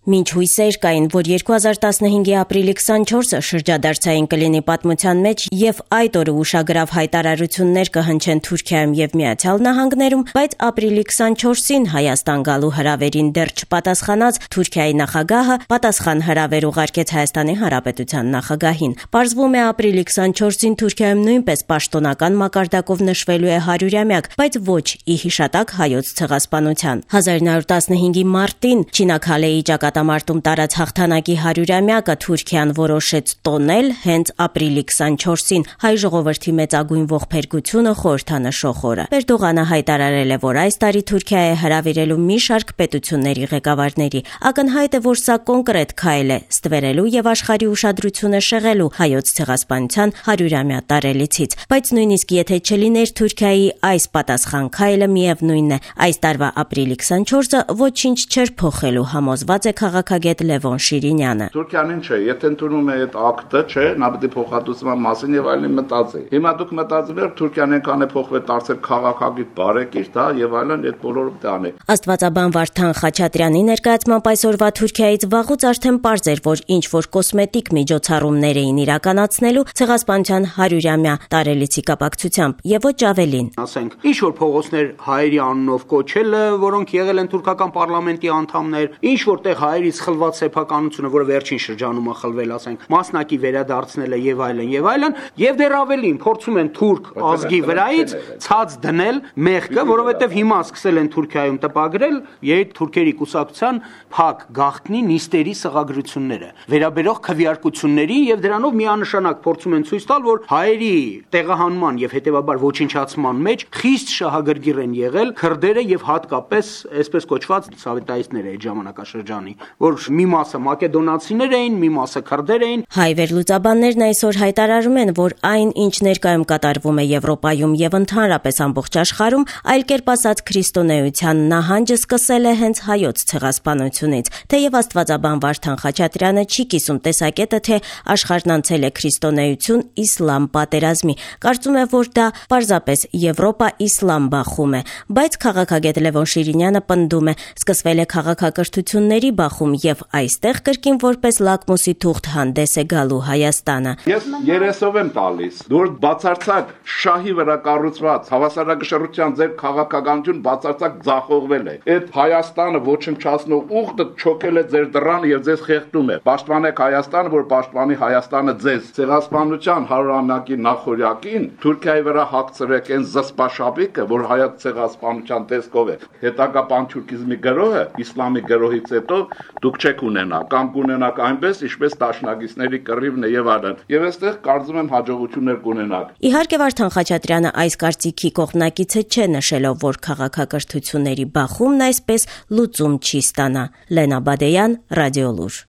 Մինչ հույսեր կային, որ 2015-ի ապրիլի 24-ը շրջադարձային կլինի պատմության մեջ եւ այդ օրը ուշագրավ հայտարարություններ կհնչեն Թուրքիայում եւ Միացյալ Նահանգներում, բայց ապրիլի 24-ին Հայաստան գալու հրավերին դեռ չպատասխանած Թուրքիայի նախագահը պատասխան հրավեր ուղարկեց Հայաստանի Հանրապետության նախագահին։ Պարզվում է ապրիլի 24-ին Թուրքիայում նույնպես պաշտոնական մակարդակով նշվելու է 100-ամյակ, բայց ոչ ի հիշատակ հայոց ցեղասպանության։ 1915-ի մարտին Չինաքալեի ճակատամարտում տարած հաղթանակի 100-ամյակը Թուրքիան որոշեց տոնել հենց ապրիլի 24-ին հայ ժողովրդի մեծագույն ողբերգությունը խորհրդանշող օրը։ Էրդողանը հայտարարել է, որ այս տարի Թուրքիա է հրավիրելու մի շարք պետությունների ղեկավարների։ Ակնհայտ է, որ սա կոնկրետ քայլ է ստվերելու եւ աշխարհի ուշադրությունը շեղելու հայոց ցեղասպանության 100-ամյա տարելիցից։ Բայց նույնիսկ եթե չլիներ Թուրքիայի այս պատասխան քայլը, միևնույն է, այս տարվա ապրիլի 24-ը ոչինչ չէր փոխելու, համոզված է քաղաքագետ Լևոն Շիրինյանը։ Թուրքիան ինչ է, եթե ընդունում է այդ ակտը, չէ, նա պետք է փոխհատուցման մասին եւ այլն մտածի։ Հիմա դուք մտածում եք Թուրքիան այնքան է փոխվել, դարձել քաղաքագիտ բարեկիր, դա եւ այլն, այդ բոլորը պետք է անի։ Աստվածաբան Վարդան Խաչատրյանի ներկայացմամբ այսօրվա Թուրքիայից վաղուց արդեն պարզ էր, որ ինչ որ կոսմետիկ միջոցառումներ էին իրականացնելու ցեղասպանության 100-ամյա տարելիցի կապակցությամբ եւ ոչ ավելին։ Ասենք, ինչ որ փողոցներ հայերի անունով կոչելը, որոնք եղել են թուրքական պարլամենտի անդամներ, ինչ որտեղ հայերից խլված սեփականությունը, որը վերջին շրջանում է խլվել, ասենք, մասնակի վերադարձնելը եւ այլն, եւ դեռ ավելին փորձում են թուրք ազգի վրայից ցած դնել մեղքը, որովհետեւ հիմա սկսել են Թուրքիայում տպագրել երբ թուրքերի կուսակցության փակ գաղտնի նիստերի սղագրությունները, վերաբերող քվեարկությունների եւ դրանով միանշանակ փորձում են ցույց տալ, որ հայերի տեղահանման եւ հետեւաբար ոչնչացման մեջ խիստ շահագրգիռ են եղել քրդերը եւ հատկապես այսպես կոչված սովետայիստները այդ ժամանակաշրջանի, որ մի մասը մակեդոնացիներ էին, մի մասը քրդեր էին։ Հայ վերլուծաբաններն այսօր հայտարարում են, որ այն, ինչ ներկայում կատարվում է Եվրոպայում եւ ընդհանրապես ամբողջ աշխարհում, այլ կերպ ասած քրիստոնեության նահանջը սկսել է հենց հայոց ցեղասպանությունից։ Թեև աստվածաբան Վարդան Խաչատրյանը չի կիսում տեսակետը, թե աշխարհն անցել է քրիստոնեություն իսլամ պատերազմի։ Կարծում է, որ դա պարզապես Եվրոպա-իսլամ բախում է, բայց քաղաքագետ Լևոն Շիրինյանը պնդում է, սկսվել է քաղաքակրթությունների բախում եւ այստեղ կրկին որպես լակմուսի թուղթ հանդես է գալու Հայաստանը։ Ես երեսով եմ տալիս, որ բացարձակ շահի վրա կառուցված հավասարակշռության ձեր քաղաքականություն բացարձակ ձախողվել է։ Այդ Հայաստանը ոչնչացնող ուխտը չոքել է ձեր դռանը եւ ձեզ խեղդում է։ Պաշտպանեք Հայաստանը, որ պաշտպանի Հայաստանը ձեզ։ Ցեղասպանության 100-ամյակի նախորյակին Թուրքիայի վրա հագցրեք այն զսպաշապիկը, որ հայոց ցեղասպանության տեսքով է։ Հետագա պանթուրքիզմի գրոհը իսլամի գրոհից հետո դուք չեք ունենա կամ կունենաք այնպես, ինչպես դաշնակիցների կռիվն է եւ այլն։ Եվ այստեղ կարծում եմ հաջողություններ կունենաք։ Իհարկե Վարդան Խաչատրյանը այս կարծիքի կողմնակիցը չէ, նշելով, որ քաղաքակրթությունների բախումն այսպես լուծում չի ստանա։ Լենա Բադեյան, Ռադիոլուր։